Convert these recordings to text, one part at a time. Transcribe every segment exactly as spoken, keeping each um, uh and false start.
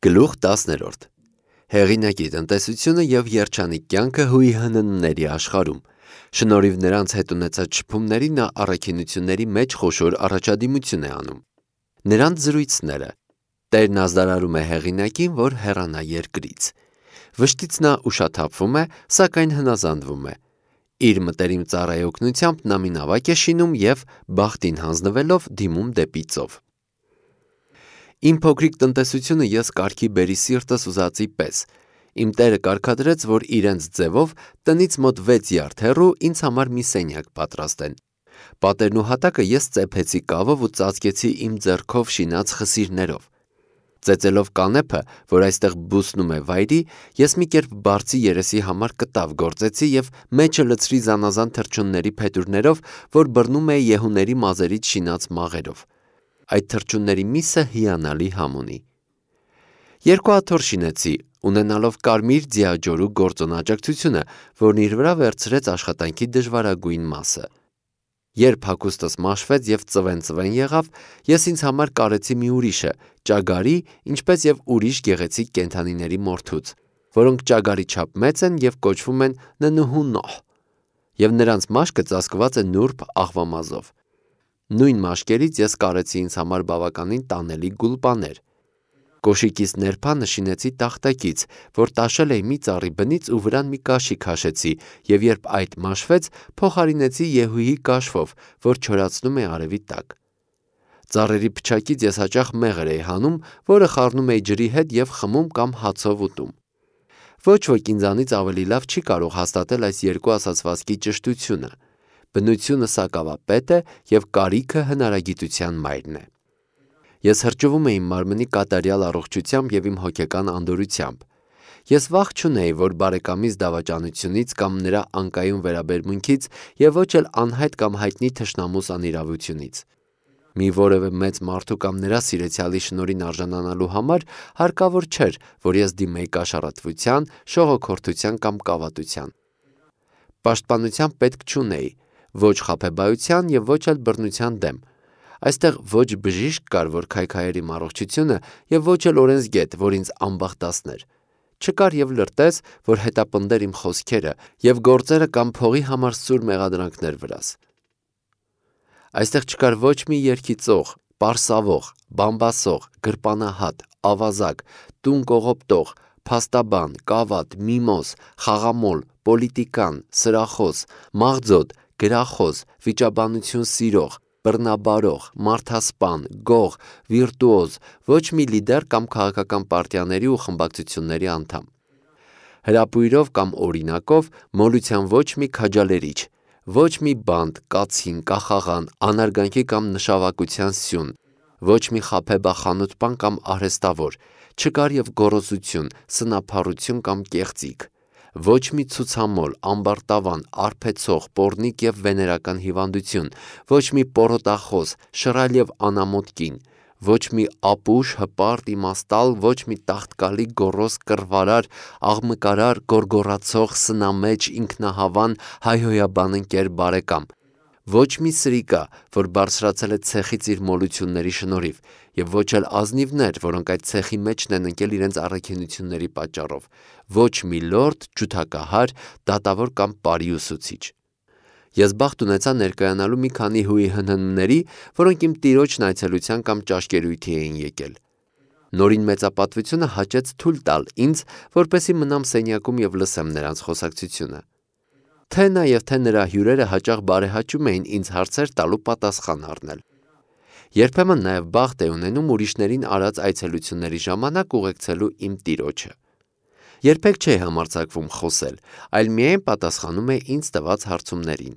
Գլուխ տասներորդ Հեղինակի տնտեսությունը և երջանիկ կյանքը հույի հննների աշխարհում։ Շնորհիվ նրանց հետ ունեցած շփումների նա առաքինությունների մեջ խոշոր առաջադիմություն է անում։ Նրանց զրույցները Տերն ազդարարում է հեղինակին, որ հեռանա երկրից։ Վշտից նա ուշաթափվում է, սակայն հնազանդվում է։ Իր մտերիմ ծառայի օգնությամբ նա մի նավակ է շինում և բախտին հանձնվելով դիմում դեպի ծով։ Իմ փոքրիկ տնտեսությունը ես կարգի բերի սիրտս ուզածի պես։ Իմ տերը կարգադրեց, որ իրենց ձևով տնից մոտ վեց յարդ հեռու ինձ համար մի սենյակ պատրաստեն։ Պատերն ու հատակը ես ծեփեցի կավով ու ծածկեցի իմ ձեռքով շինած խսիրներով։ Ծեծելով կանեփը, որ այստեղ բուսնում է վայրի, ես մի կերպ բարձի երեսի համար կտավ գործեցի և մեջը լցրի զանազան թռչունների փետուրներով, որ բռնում էի եհուների մազերից շինած մաղերով։ Այդ թռչունների միսը հիանալի համ ունի։ Երկու աթոռ շինեցի, ունենալով կարմիր ձիաջորու գործոն աջակցությունը, որն իր վրա վերցրեց աշխատանքի դժվարագույն մասը։ Երբ հագուստս մաշվեց և ծվեն-ծվեն եղավ, ես ինձ համար կարեցի մի ուրիշը, ճագարի, ինչպես և ուրիշ գեղեցիկ կենդանիների մորթուց, որոնք ճագարի չափ մեծ են և կոչվում են ննհունոհ, և նրանց մաշկը ծածկված է նուրբ աղվամազով։ Նույն մաշկերից ես կարեցի ինձ համար բավականին տանելի գուլպաներ։ Կոշիկիս ներփանը շինեցի տախտակից, որ տաշել էի մի ծառի բնից ու վրան մի կաշի քաշեցի և երբ այդ մաշվեց, փոխարինեցի եհուի կաշվով, որ չորացնում է արևի տակ։ Ծառերի փչակից ես հաճախ մեղր էի հանում, որը խառնում էի ջրի հետ և խմում կամ հացով ուտում։ Ոչ ոք ինձանից ավելի լավ չի կարող հաստատել այս երկու ասացվածքի ճշտությունը։ Բնությունը սակավապետ է և կարիքը հնարագիտության մայրն է։ Ես հրճվում էի իմ մարմնի կատարյալ առողջությամբ և իմ հոգեկան անդորրությամբ։ Ես վախ չունեի, որ բարեկամիս դավաճանությունից կամ նրա անկայուն վերաբերմունքից և ոչ էլ անհայտ կամ հայտնի թշնամուս անիրավությունից։ Մի որևէ մեծ մարդու կամ նրա սիրեցյալի շնորհին արժանանալու համար հարկավոր չէր, որ ես դիմեի կաշառատվության, շողոքորթության կամ կավատության։ Պաշտպանության պետք չունեի, ոչ խաբեբայության և ոչ էլ բռնության դեմ։ Այստեղ ոչ բժիշկ կար, որ քայքայեր իմ առողջությունը և ոչ էլ օրենսգետ, որ ինձ անբախտացներ։ Չկար և լրտես, որ հետապնդեր իմ խոսքերը և գործերը կամ փողի համար սուր մեղադրանքներ վրաս։ Այստեղ չկար ոչ մի երգիծող, պարսավող, բամբասող, գրպանահատ, ավազակ, տուն կողոպտող, փաստաբան, կավատ, միմոզ, խաղամոլ, պոլիտիկան, սրախոս, մաղձոտ, գրախոս, վիճաբանություն սիրող, բռնաբարող, մարդասպան, գող, վիրտուոզ, ոչ մի լիդեր կամ քաղաքական պարտիաների ու խմբակցությունների անդամ։ Հրապույրով կամ օրինակով մոլության ոչ մի քաջալերիչ, ոչ մի բանտ, կացին, կախաղան, անարգանքի կամ նշավակության սյուն, ոչ մի խաբեբախանութպան կամ արհեստավոր, չկար և գոռոզություն, սնափառություն կամ կեղծիք, ոչ մի ցուցամոլ, ամբարտավան, արբեցող, պոռնիկ և վեներական հիվանդություն, ոչ մի պոռոտախոս, շռայլ և անամոթ կին, ոչ մի ապուշ, հպարտ, իմաստալ, ոչ մի տաղտկալի, գոռոզ, կռվարար, աղմկարար, գոռգոռացող, սնամեջ, ինքնահավան, հայհոյաբան ընկեր, բարեկամ, ոչ մի սրիկա, որ բարձրացել է ցեխից իր մոլությունների շնորհիվ, և ոչ էլ ազնիվներ, որոնք այդ ցեխի մեջն են ընկել իրենց առաքինությունների պատճառով, ոչ մի լորդ, ջութակահար, դատավոր կամ պարի ուսուցիչ։ Ես բախտ ունեցա ներկայանալու մի քանի հույի հնհնների, որոնք իմ տիրոջն այցելության կամ ճաշկերույթի էին եկել։ Նորին մեծապատվությունը հաճեց թույլ տալ ինձ, որպեսզի մնամ սենյակում և լսեմ նրանց խոսակցությունը։ Թե նա և թե նրա հյուրերը հաճախ բարեհաճում էին ինձ հարցեր տալու պատասխան առնել։ Երբեմն նաև բախտ էի ունենում ուրիշներին արած այցելությունների ժամանակ ուղեկցելու իմ տիրոջը։ Երբեք չէի համարձակվում խոսել, այլ միայն պատասխանում էի ինձ տված հարցումներին։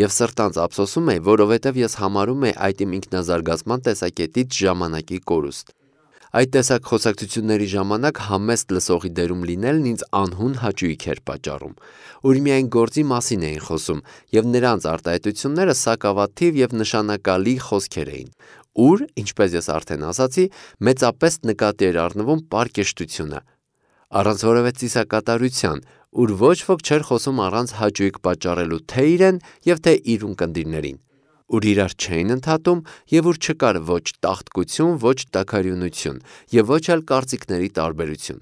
Եվ սրտանց ափսոսում էի, որովհետև ես համարում էի այդ իմ ինքնազարգացման տեսակետից ժամանակի կորուստ։ Այդ տեսակ խոսակցությունների ժամանակ համեստ լսողի դերում լինելն ինձ անհուն հաճույք էր պատճառում։ Ուր միայն գործի մասին էին խոսում, և նրանց արտահայտությունները սակավաթիվ և նշանակալի խոսքեր էին, ուր, ինչպես ես արդեն ասացի, մեծապես նկատի էր առնվում պարկեշտությունը, առանց որևէ ծիսակատարության, ուր ոչ ոք չէր խոսում առանց հաճույք պատճառելու թե իրեն և թե իր ունկնդիրներին, ուր իրար չէին ընդհատում և ուր չկար ոչ տաղտկություն, ոչ տաքարյունություն և ոչ էլ կարծիքների տարբերություն։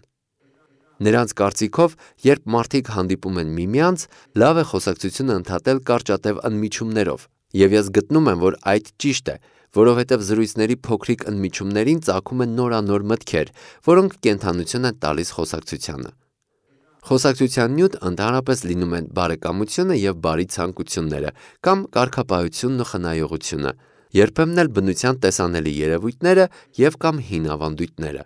Նրանց կարծիքով, երբ մարդիկ հանդիպում են միմյանց, լավ է խոսակցությունը ընդհատել կարճատև ընդմիջումներով, և ես գտնում եմ, որ այդ ճիշտ է, որովհետև զրույցների փոքրիկ ընդմիջումներին ծագում են նորանոր մտքեր, որոնք կենդանություն են տալիս խոսակցությանը։ Խոսակցության նյութ ընդհանրապես լինում են բարեկամությունը և բարի ցանկությունները կամ կարգապահությունն ու խնայողությունը, երբեմն էլ բնության տեսանելի երևույթները և կամ հին ավանդույթները։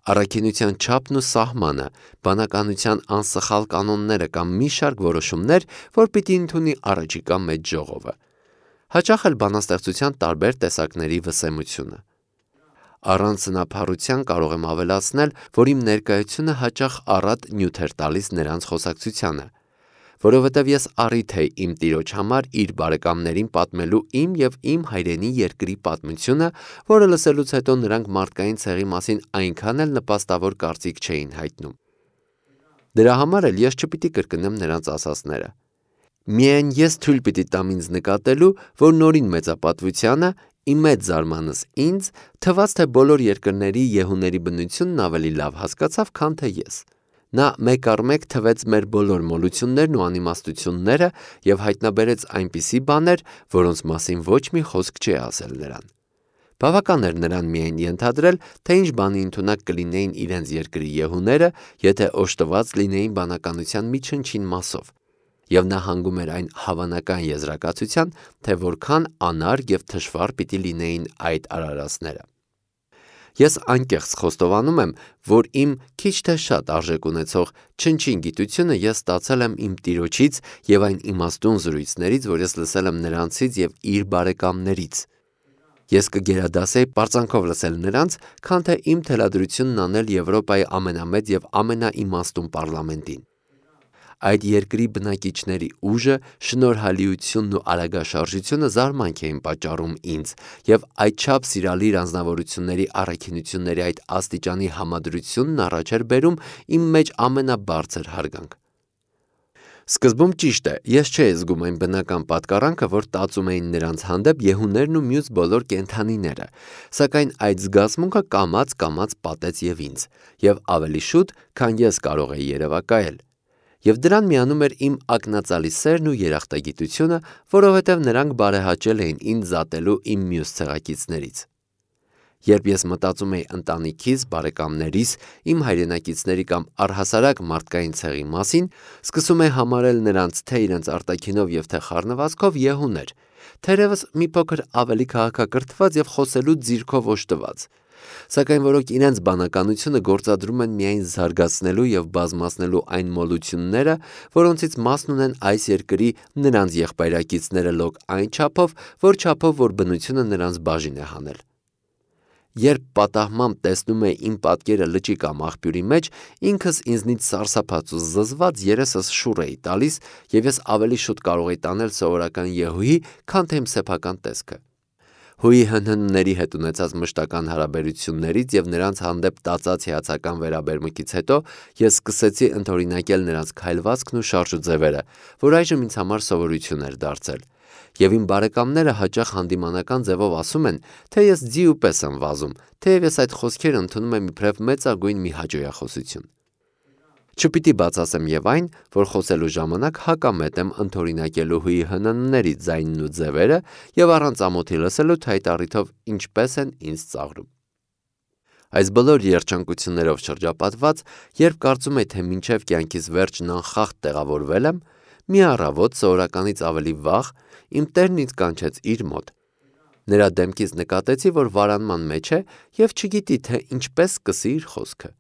Առաքինության չափն ու սահմանը, բանականության անսխալ կանոնները կամ մի շարք որոշումներ, որ պիտի ընդունի առաջիկա մեծ ժողովը։ Հաճախ էլ բանաստեղծության տարբեր տեսակների վսեմությունը։ Առանց սնափառության կարող եմ ավելացնել, որ իմ ներկայությունը հաճախ առատ նյութ էր տալիս նրանց խոսակցությանը, որովհետև ես առիթ էի իմ տիրոջ համար իր բարեկամներին պատմելու իմ և իմ հայրենի երկրի պատմությունը, որը լսելուց հետո նրանք մարդկային ցեղի մասին այնքան էլ նպաստավոր կարծիք չէին հայտնում։ Դրա համար էլ ես չպիտի կրկնեմ նրանց ասածները։ Միայն ես թույլ պիտի տամ ինձ նկատելու, որ նորին մեծապատվությանը, ի մեծ զարմանս ինձ, թվաց, թե բոլոր երկրների եհուների բնությունն ավելի լավ հասկացավ, քան թե ես։ Նա մեկ առ մեկ թվեց մեր բոլոր մոլություններն ու անիմաստությունները և հայտնաբերեց այնպիսի բաներ, որոնց մասին ոչ մի խոսք չի ասել նրան։ Բավական էր նրան միայն ենթադրել, թե ինչ բանի ընդունակ կլինեին իրենց երկրի եհուները, եթե օժտված լինեին բանականության մի չնչին մասով, և նա հանգում էր այն հավանական եզրակացության, թե որքան անարգ և թշվառ պիտի լինեին այդ արարածները։ Ես անկեղծ խոստովանում եմ, որ իմ քիչ թե շատ արժեք ունեցող չնչին գիտությունը ես ստացել եմ իմ տիրոջից և այն իմաստուն զրույցներից, որ ես լսել եմ նրանցից և իր բարեկամներից։ Ես կգերադասեի պարծանքով լսել նրանց, քան թե իմ թելադրությունն անել Եվրոպայի ամենամեծ և ամենաիմաստուն պարլամենտին։ Այդ երկրի բնակիչների ուժը, շնորհալիությունն ու արագաշարժությունը զարմանք էին պատճառում ինձ, և այդչափ սիրալիր անձնավորությունների առաքինությունների այդ աստիճանի համադրությունն առաջ էր բերում իմ մեջ ամենաբարձր հարգանք։ Սկզբում ճիշտ է, ես չէի զգում այն բնական պատկառանքը, որ տածում էին նրանց հանդեպ եհուներն ու մյուս բոլոր կենդանիները, սակայն այդ զգացմունքը կամաց-կամաց պատեց և ինձ, և ավելի շուտ, քան ես կարող էի երևակայել։ Եվ դրան միանում էր իմ ակնածալի սերն ու երախտագիտությունը, որովհետև նրանք բարեհաճել էին ինձ զատելու իմ մյուս ցեղակիցներից։ Երբ ես մտածում էի ընտանիքիս, բարեկամներիս, իմ հայրենակիցների կամ առհասարակ մարդկային ցեղի մասին, սկսում էի համարել նրանց թե իրենց արտաքինով և թե խառնվածքով եհուներ, թերևս մի փոքր ավելի քաղաքակրթված և խոսելու ձիրքով օժտված, սակայն որոնք իրենց բանականությունը գործադրում են միայն զարգացնելու և բազմացնելու այն մոլությունները, որոնցից մասն ունեն այս երկրի նրանց եղբայրակիցները լոկ այն չափով, որ չափով, որ բնությունը նրանց բաժին է հանել։ Երբ պատահմամբ տեսնում էի իմ պատկերը լճի կամ աղբյուրի մեջ, ինքս ինձնից սարսափած ու զզված երեսս շուռ էի տալիս, և ես ավելի շուտ կարող էի տանել սովորական եհուի, քան թե իմ սեփական տեսքը։ Հույի հնհնների հետ ունեցած մշտական հարաբերություններից և նրանց հանդեպ տածած հիացական վերաբերմունքից հետո ես սկսեցի ընդօրինակել նրանց քայլվածքն ու շարժուձևերը, որ այժմ ինձ համար սովորություն էր դարձել, և իմ բարեկամները հաճախ հանդիմանական ձևով ասում են, թե ես ձի ու պես եմ վազում, թեև ես այդ խոսքերը ընդունում եմ իբրև մեծագույն մի հաճոյախոսություն։ Չպիտի բացասեմ և այն, որ խոսելու ժամանակ հակամետ եմ ընդօրինակելու հույի հնհնների ձայնն ու ձևերը և առանց ամոթի լսելու, թե այդ առիթով ինչպես են ինձ ծաղրում։ Այս բոլոր երջանկություններով շրջապատված, երբ կարծում էի, թե մինչև կյանքիս վերջն անխախտ տեղավորվել եմ, մի առավոտ սովորականից ավելի վաղ իմ տերն ինձ կանչեց իր մոտ։ Նրա դեմքից նկատեցի, որ վարանման մեջ է և չգիտի, թե ինչպես սկսի իր խոսքը։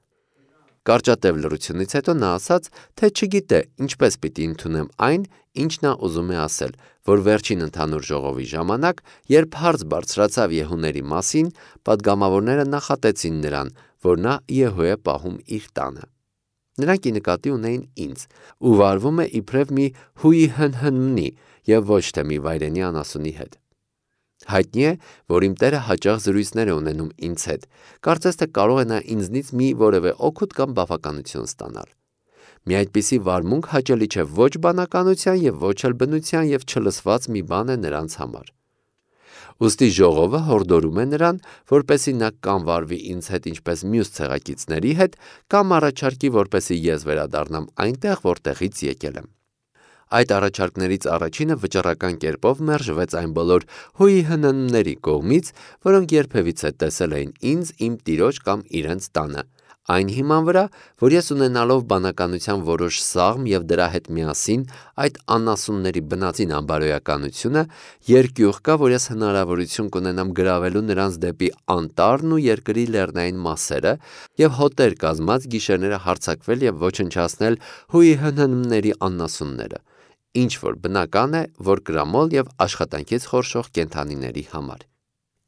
Կարճատև լռությունից հետո նա ասաց, թե չգիտե ինչպես պիտի ընդունեմ այն, ինչ նա ուզում է ասել, որ վերջին ընդհանուր ժողովի ժամանակ, երբ հարց բարձրացավ եհուների մասին, պատգամավորները նախատեցին նրան, որ նա եհու է պահում իր տանը։ Նրանք ի նկատի ունեին ինձ ու վարվում է իբրև մի հույի հնհննի և ոչ թե մի վայրենի անասունի հետ։ Հայտնի է, որ իմ տերը հաճախ զրույցներ է ունենում ինձ հետ, կարծես թե կարող է նա ինձնից մի որևէ օգուտ կամ բավականություն ստանալ։ Մի այդպիսի վարմունք հաճելի չէ ոչ բանականության և ոչ էլ բնության և չլսված մի բան է նրանց համար։ Ուստի ժողովը հորդորում է նրան, որպեսզի նա կամ վարվի ինձ հետ ինչպես մյուս ցեղակիցների հետ, կամ առաջարկի, որպեսզի ես վերադառնամ այնտեղ, որտեղից եկել եմ։ Այդ առաջարկներից առաջինը վճռական կերպով մերժվեց այն բոլոր հույհննների կողմից, որոնք երբևիցե տեսել էին ինձ իմ տիրոջ կամ իրենց տանը, այն հիման վրա, որ ես ունենալով բանականության որոշ սաղմ և դրա հետ միասին այդ անասունների բնածին անբարոյականությունը, երկյուղ կա, որ ես հնարավորություն կունենամ գրավելու նրանց դեպի անտառն ու երկրի լեռնային մասերը և հոտեր կազմած գիշերները հարձակվել և ոչնչացնել հույհննների անասունները, ինչ որ բնական է, որ կրամոլ և աշխատանքից խորշող կենդանիների համար։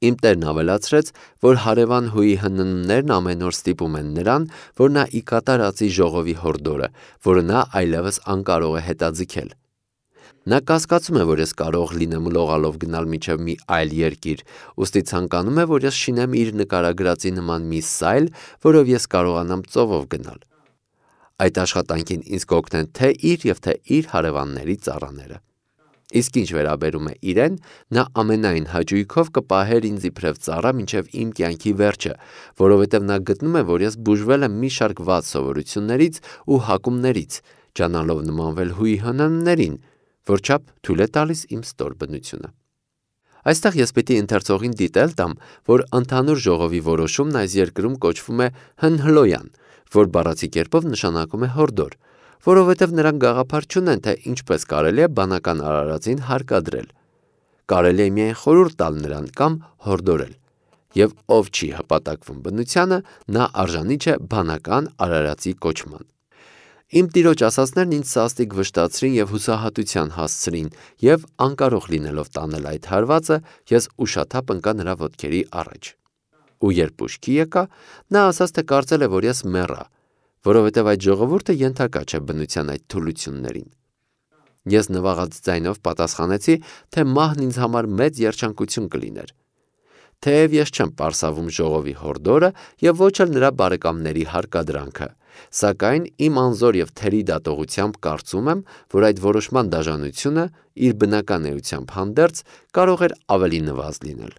Իմ տերն ավելացրեց, որ հարևան հույհնններն ամեն օր ստիպում են նրան, որ նա ի կատար ածի ժողովի հորդորը, որը նա այլևս անկարող է հետաձգել։ Նա կասկածում է, որ ես կարող լինեմ լողալով գնալ մինչև մի այլ երկիր, ուստի ցանկանում է, որ ես շինեմ իր նկարագրածի նման մի սայլ, որով ես կարողանամ ծովով գնալ։ Այդ աշխատանքին ինձ կօգնեն թե իր և թե իր հարևանների ծառաները։ Իսկ ինչ վերաբերում է իրեն, նա ամենայն հաճույքով կպահեր ինձ իբրև ծառա մինչև իմ կյանքի վերջը, որովհետև նա գտնում է, որ ես բուժվել եմ մի շարք վատ սովորություններից ու հակումներից, ջանալով նմանվել հույհնններին, որչափ թույլ է տալիս իմ ստոր բնությունը։ Այստեղ ես պիտի ընթերցողին դիտել տամ, որ ընդհանուր ժողովի որոշումն այս երկրում կոչվում է հնհլոյան, որ բառացի կերպով նշանակում է հորդոր, որովհետև նրանք գաղափար չունեն, թե ինչպես կարելի է բանական արարածին հարկադրել։ Կարելի է միայն խորհուրդ տալ նրան կամ հորդորել, և ով չի հպատակվում բնությանը, նա արժանի չէ բանական արարածի կոչման։ Իմ տիրոջ ասածներն ինձ սաստիկ վշտացրին և հուսահատության հասցրին, և անկարող լինելով տանել այդ հարվածը, ես ուշաթափ ընկա նրա ոտքերի առաջ։ Ու երբ ուշքի եկա, նա ասաց, թե կարծել է, որ ես մեռա, որովհետև այդ ժողովուրդը ենթակա չէ բնության այդ թուլություններին։ Ես նվաղած ձայնով պատասխանեցի, թե մահն ինձ համար մեծ երջանկություն կլիներ։ Թեև ես չեմ պարսավում ժողովի հորդորը և ոչ էլ նրա բարեկամների հարկադրանքը, սակայն իմ անզոր և թերի դատողությամբ կարծում եմ, որ այդ որոշման դաժանությունը իր բնական էությամբ հանդերձ կարող էր ավելի նվազ լինել,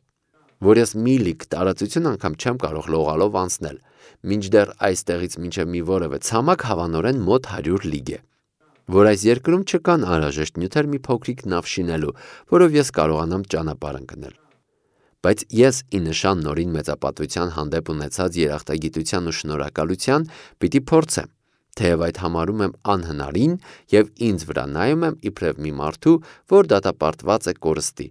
որ ես մի լիք տարածություն անգամ չեմ կարող լողալով անցնել, մինչդեռ այստեղից մինչև մի որևէ ցամաք հավանորեն մոտ հարյուր լիգ է, որ այս երկրում չկան անհրաժեշտ նյութեր մի փոքրիկ նավ շինելու, որով ես կարողանամ ճանապարհ ընկնել։ Բայց ես ի նշան նորին մեծապատվության հանդեպ ունեցած երախտագիտության ու շնորհակալության պիտի փորձեմ, թեև այդ համարում եմ անհնարին և ինձ վրա նայում եմ իբրև մի մարդու, որ դատապարտված է կորստի,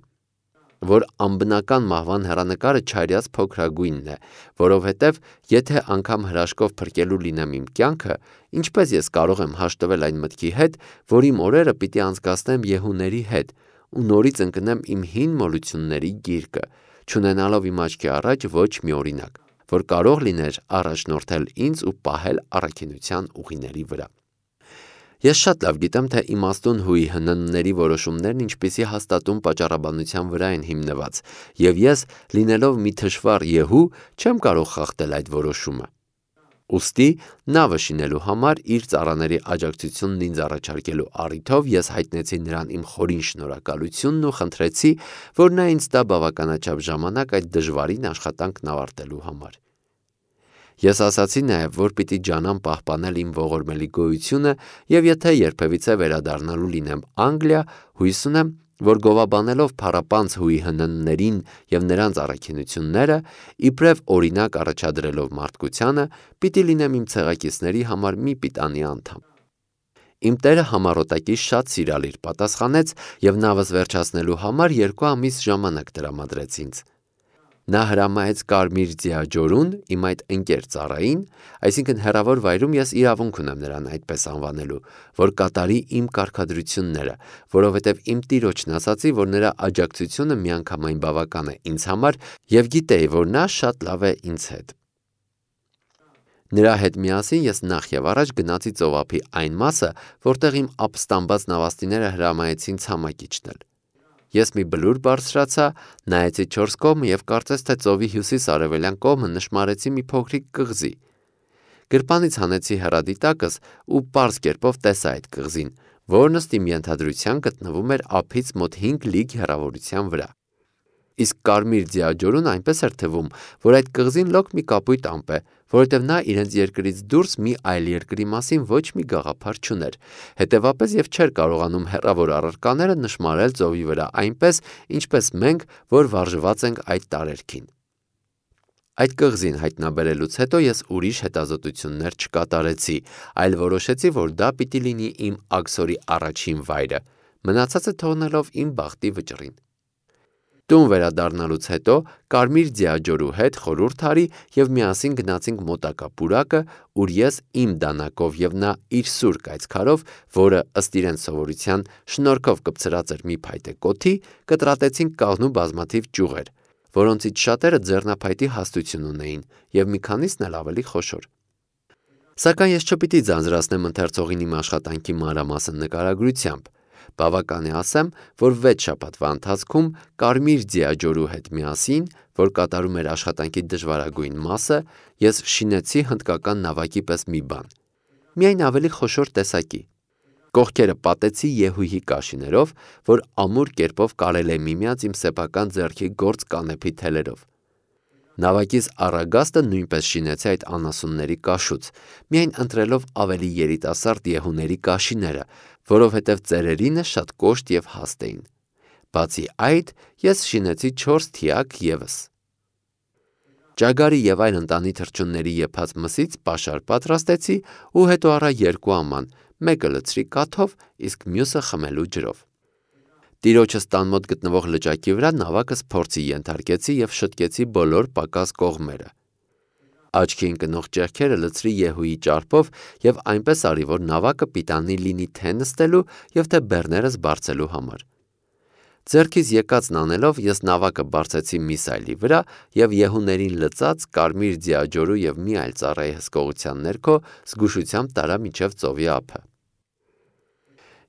որ անբնական մահվան հեռանկարը չարյաց փոքրագույնն է, որովհետև եթե անգամ հրաշքով փրկելու լինեմ իմ կյանքը, ինչպես ես կարող եմ հաշտվել այն մտքի հետ, որ իմ օրերը պիտի անցկացնեմ յեհուների հետ ու նորից ընկնեմ իմ հին մոլությունների գիրկը, չունենալով իմ աչքի առաջ ոչ մի օրինակ, որ կարող լիներ առաջնորդել ինձ ու պահել առաքինության ուղիների վրա։ Ես շատ լավ գիտեմ, թե իմաստուն հույհննների որոշումներն ինչպիսի հաստատուն պատճառաբանության վրա են հիմնված, և ես, լինելով մի թշվառ յեհու, չեմ կարող խախտել այդ որոշումը։ Ուստի նավը շինելու համար իր ծառաների աջակցությունն ինձ առաջարկելու առիթով ես հայտնեցի նրան իմ խորին շնորհակալությունն ու խնդրեցի, որ նա ինձ տա բավականաչափ ժամանակ այդ դժվարին աշխատանքն ավարտելու համար։ Ես ասացի նաև, որ պիտի ջանամ պահպանել իմ ողորմելի գոյությունը և եթե երբևիցե վերադառնալու լինեմ Անգլիա, հույս ունեմ, որ գովաբանելով փառապանծ հույհնններին և նրանց առաքինությունները, իբրև օրինակ առաջադրելով մարդկությանը, պիտի լինեմ իմ ցեղակիցների համար մի պիտանի անդամ։ Իմ տերը համառոտակի շատ սիրալիր պատասխանեց և նավս վերջացնելու համար երկու ամիս ժամանակ տրամադրեց ինձ։ Նա հրամայեց Կարմիր Ձիաջորուն իմ այդ ընկեր ծառային, այսինքն հեռավոր վայրում ես իրավունք ունեմ նրան այդպես անվանելու, որ կատարի իմ կարգադրությունները, որովհետև իմ տիրոջն ասացի, որ նրա աջակցությունը միանգամայն բավական է ինձ համար և գիտեի, որ նա շատ լավ է ինձ հետ։ Նրա հետ միասին ես նախ և առաջ գնացի ծովափի այն մասը, որտեղ իմ ապստամբած նավաստիները հրամայեցին ցամաք իջնել։ Ես մի բլուր բարձրացա, նայեցի չորս կողմը և կարծես թե ծովի հյուսիս-արևելյան կողմը նշմարեցի մի փոքրիկ կղզի։ Գրպանից հանեցի հեռադիտակս ու պարզ կերպով տեսա այդ կղզին, որն ըստ իմ ենթադրության գտնվում էր ափից մոտ հինգ լիգ հեռավորության վրա։ Իսկ կարմիր ձիաջորուն այնպես էր թվում, որ այդ կղզին լոկ մի կապույտ ամպ է, որովհետև նա իրենց երկրից դուրս մի այլ երկրի մասին ոչ մի գաղափար չուներ, հետևապես և չէր կարողանում հեռավոր առարկաները նշմարել ծովի վրա այնպես, ինչպես մենք, որ վարժված ենք այդ տարերքին։ Այդ կղզին հայտնաբերելուց հետո ես ուրիշ հետազոտություններ չկատարեցի, այլ որոշեցի, որ դա պիտի լինի իմ աքսորի առաջին վայրը, մնացածը թողնելով իմ բախտի վճռին։ Տուն վերադառնալուց հետո կարմիր ձիաջորու հետ խորհուրդ արի և միասին գնացինք մոտակա պուրակը, ուր ես իմ դանակով և նա իր սուր կայծքարով, որը ըստ իրենց սովորության շնորհքով կպցրած էր մի փայտե կոթի, կտրատեցինք կաղնու բազմաթիվ ճյուղեր, որոնցից շատերը ձեռնափայտի հաստություն ունեին և մի քանիսն էլ ավելի խոշոր։ Սակայն ես չպիտի ձանձրացնեմ ընթերցողին իմ աշխատանքի մանրամասն նկարագրությամբ, բավական է ասեմ, որ վեց շաբաթվա ընթացքում կարմիր ձիաջորու հետ միասին, որ կատարում էր աշխատանքի դժվարագույն մասը, ես շինեցի հնդկական նավակի պես մի բան, միայն ավելի խոշոր տեսակի։ Կողքերը պատեցի եհույի կաշիներով, որ ամուր կերպով կարել է միմյանց իմ սեփական ձեռքի գործ կանեփի թելերով։ Նավակիս առագաստը նույնպես շինեցի այդ անասունների կաշուց, միայն ընտրելով ավելի երիտասարդ եհուների կաշիները, որովհետև ծերերինը շատ կոշտ և հաստ էին։ Բացի այդ, ես շինեցի չորս թիակ ևս։ Ճագարի և այլ ընտանի թռչունների եփած մսից պաշար պատրաստեցի ու հետո առա երկու աման, մեկը լցրի կաթով, իսկ մյուսը խմելու ջրով։ Տիրոջս տան մոտ գտնվող լճակի վրա նավակս փորձի ենթարկեցի և շտկեցի բոլոր պակաս կողմերը։ Աչքի ընկնող ճեղքերը լցրի եհուի ճարպով և այնպես արի, որ նավակը պիտանի լինի թե նստելու և թե բեռներս բարձելու համար։ Ձեռքիս եկածն անելով ես նավակը բարձեցի մի սայլի վրա և եհուներին լծած կարմիր ձիաջորու և մի այլ ծառայի հսկողության ներքո զգուշությամբ տարա մինչև ծովի ափը։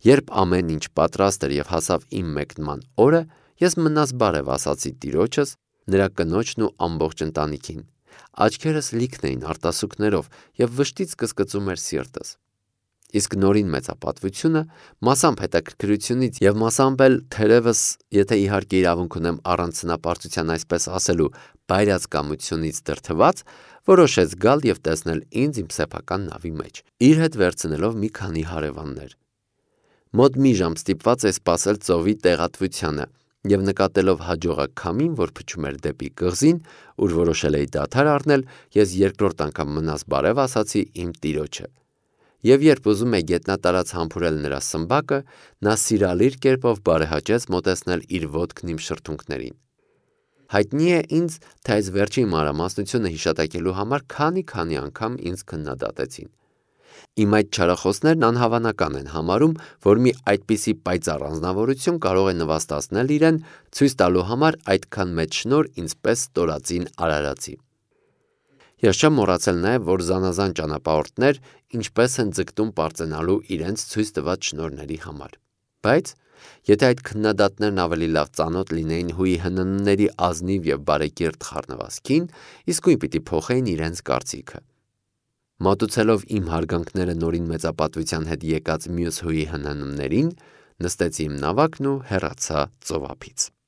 Երբ ամեն ինչ պատրաստ էր և հասավ իմ մեկնման օրը, ես մնաս բարև ասացի տիրոջս, նրա կնոջն ու ամբողջ ընտանիքին։ Աչքերս լիքն էին արտասուքներով և վշտից կսկծում էր սիրտս։ Իսկ նորին մեծապատվությունը, մասամբ հետաքրքրությունից և մասամբ էլ թերևս, եթե իհարկե իրավունք ունեմ առանց սնապարծության այսպես ասելու, բայրացկամությունից դրդված, որոշեց գալ և տեսնել ինձ իմ սեփական նավի մեջ, իր հետ վերցնելով մի քանի հարևաններ։ Մոտ մի ժամ ստիպված էի սպասել ծովի տեղատվությանը և նկատելով հաջողակ քամին, որ փչում էր դեպի կղզին, ուր որոշել էի դադար առնել, ես երկրորդ անգամ մնաս բարև ասացի իմ տիրոջը։ Եվ երբ ուզում էի գետնատարած համբուրել նրա սմբակը, նա սիրալիր կերպով բարեհաճեց մոտեցնել իր ոտքն իմ շրթունքներին։ Հայտնի է ինձ, թե այս վերջին մանրամասնությունը հիշատակելու համար քանի-քանի անգամ ինձ քննադատեցին։ Իմ այդ չարախոսներն անհավանական են համարում, որ մի այդպիսի պայծառ անձնավորություն կարող է նվաստացնել իրեն, ցույց տալու համար այդքան մեծ շնորհ ինձ պես ստորածին արարածի։ Ես չեմ մոռացել նաև, որ զանազան ճանապարհորդներ ինչպես են ձգտում պարծենալու իրենց ցույց տված շնորհների համար։ Բայց եթե այդ քննադատներն ավելի լավ ծանոթ լինեին ՀՈՒԻՀՆՆ-ների ազնիվ և բարեկիրթ խառնվածքին, իսկույն պիտի փոխեին իրենց կարծիքը։ Մատուցելով իմ հարգանքները նորին մեծապատվության հետ եկած մյուս ՀՈՒԻՀՆՆ-ներին, նստեցի իմ նավակն ու հեռացա ծովափից։